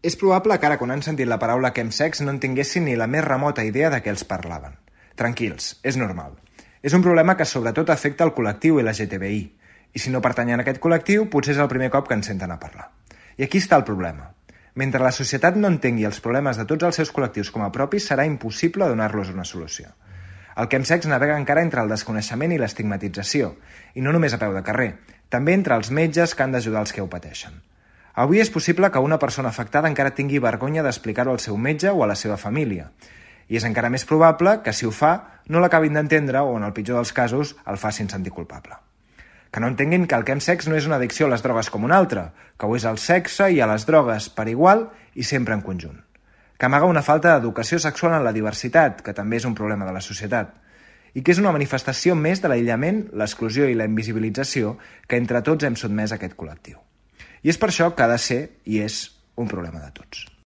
És probable que ara, quan han sentit la paraula chemsex, no en tinguessin ni la més remota idea de què els parlaven. Tranquils, és normal. És un problema que sobretot afecta el col·lectiu LGTBI, i si no pertanyen a aquest col·lectiu, potser és el primer cop que ens senten a parlar. I aquí està el problema. Mentre la societat no entengui els problemes de tots els seus col·lectius com a propis, serà impossible donar-los una solució. El chemsex navega encara entre el desconeixement i l'estigmatització, i no només a peu de carrer, també entre els metges que han d'ajudar els que ho pateixen. Avui és possible que una persona afectada encara tingui vergonya d'explicar-ho al seu metge o a la seva família, i és encara més probable que, si ho fa, no l'acabin d'entendre o, en el pitjor dels casos, el facin sentir culpable. Que no entenguin que el chemsex no és una addicció a les drogues com una altra, que ho és al sexe i a les drogues per igual i sempre en conjunt. Que amaga una falta d'educació sexual en la diversitat, que també és un problema de la societat, i que és una manifestació més de l'aïllament, l'exclusió i la invisibilització que entre tots hem sotmès a aquest col·lectiu. I és per això que ha de ser i és un problema de tots.